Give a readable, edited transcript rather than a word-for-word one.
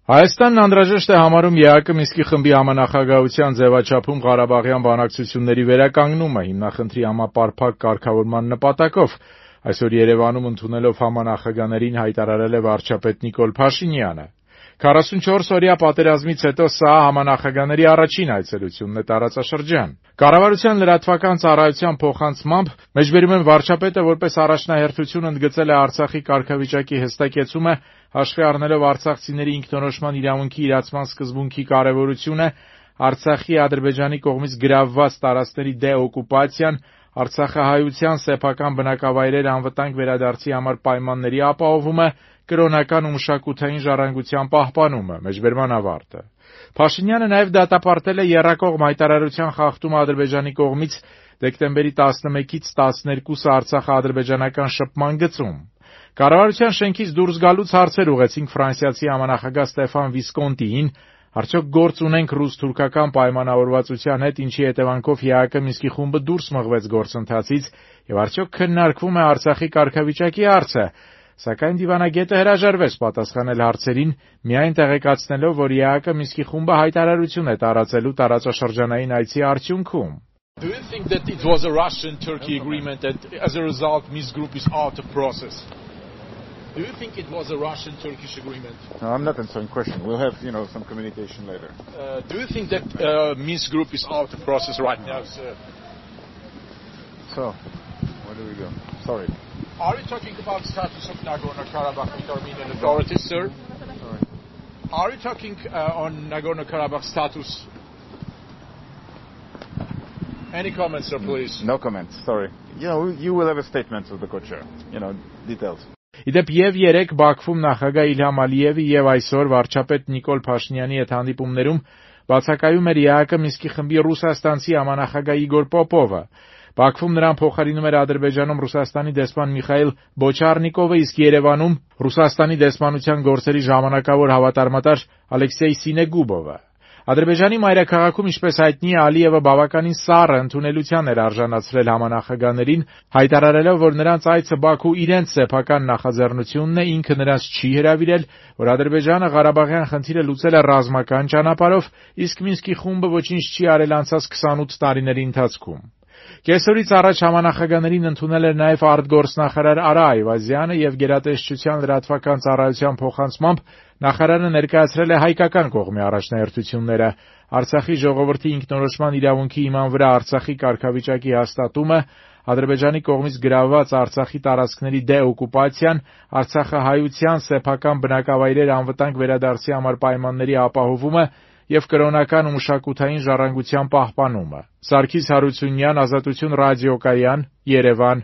Հայաստանն անհրաժեշտ է համարում ԵԱԿ Մինսկի խմբի համանախագահության ձևաչափում Ղարաբաղյան բանակցությունների վերականգնումը հիմնախնդրի համապարփակ կարգավորման նպատակով, այսօր Երևանում ընդունելով համանախագահներին հայտարարել է վարչապետ Նիկոլ Փաշինյանը։ 44-օրյա պատերազմից հետո սա համանախագահների առաջին այցելությունն է տարածաշրջան։ Կառավարության լրատվական ծառայության փոխանցմամբ մեջբերում են վարչապետը որպես առաջնահերթություն ընդգծել է Արցախի կարգավիճակի հստակեցումը, հաշվի առնելով արցախցիների ինքնորոշման իրավունքի իրացման սկզբունքի կարևորությունը, Արցախի Ադրբեջանի կողմից գրավված տարածքների դեօկուպացիան, Արցախահայության սեփական բնակավայրեր անվտանգ վերադարձի համար պայմանների ապահովումը, կրոնական ու մշակութային ժառանգության պահպանումը, մեջբերման ավարտը։ Փաշինյանը նաև դատապարտել է եռակողմ հայտարարության խախտումը Ադրբեջանի կողմից դեկտեմբերի 11-ից 12-ը Արցախա-ադրբեջանական շփման գծում։ Կառավարության շենքից դուրս գալուց հարցեր ուղեցինք ֆրանսիացի համանախագահ Ստեֆան Վիսկոնտիին, արդյոք գործ ունենք ռուս-թուրքական պայմանավորվածության հետ, ինչի հետևանքով ԵԱԿ Մինսկի խումբը դուրս մղվեց գործընթացից, եւ արդյոք քննարկվում է Արցախի կարգավիճակի հարցը, սակայն դիվանագետը հրաժարվեց պատասխանել հարցերին, միայն տեղեկացնելով, որ ԵԱԿ Մինսկի խումբը հայտարարություն է տարածելու տարածաշրջանային այցի արդյունքում։ Do you think that it was a Russian-Turkey agreement and as a result Minsk group is out of process? Do you think it was a Russian-Turkish agreement? No, I'm not answering question. We'll have, some communication later. Do you think that Minsk group is out of process right now, sir? So, where do we go? Sorry. Are you talking about status of Nagorno-Karabakh with Armenian authorities, sir? Sorry. Are you talking on Nagorno-Karabakh status? Any comments, sir, please? No comments, sorry. You will have a statement of the co-chair, details. Իդեպ եւ երեք Բաքվում նախագահ Իլհամ Ալիևի եւ այսօր վարչապետ Նիկոլ Փաշինյանի հետ հանդիպումներում բացակայում էր ԵԱԿ Մինսկի խմբի ռուսաստանցի համանախագահ Իգոր Պոպովը։ Բաքվում նրան փոխարինում էր Ադրբեջանում Ռուսաստանի դեսպան Միխայիլ Բոչարնիկովը, իսկ Երևանում Ռուսաստանի դեսպանության գործերի ժամանակավոր հավատարմատար Ալեքսեյ Սինեգուբովը։ Ադրբեջանի մայրաքաղաքում, ինչպես հայտնի է, Ալիևը բավականին սառը ընդունելության էր արժանացրել համանախագահներին, հայտարարելով, որ նրանց այցը Բաքու իրենց սեփական նախաձեռնությունն է, ինքը նրանց չի հրավիրել, որ Ադրբեջանը Ղարաբաղյան խնդիրը լուծել է ռազմական ճանապարհով, իսկ Մինսկի խումբը ոչինչ չի արել անցած 28 տարիների ընթացքում։ Կեսօրից առաջ համանախագահներին ընդունել էր նաև արտգործնախարար Արա Այվազյանը եւ գերատեսչության լրատվական ծառայության փոխանցմամբ նախարարը ներկայացրել է հայկական կողմի առաջնահերթությունները, Արցախի ժողովրդի ինքնորոշման իրավունքի հիման վրա Արցախի կարգավիճակի հաստատումը, Ադրբեջանի կողմից գրավված Արցախի տարածքների դեօկուպացիան, Արցախահայության սեփական բնակավայրեր անվտանգ վերադարձի համար պայմանների ապահովումը եւ կրոնական ու մշակութային ժառանգության պահպանումը։ Սարգիս Հարությունյան, Ազատություն ռադիոկայան, Երևան։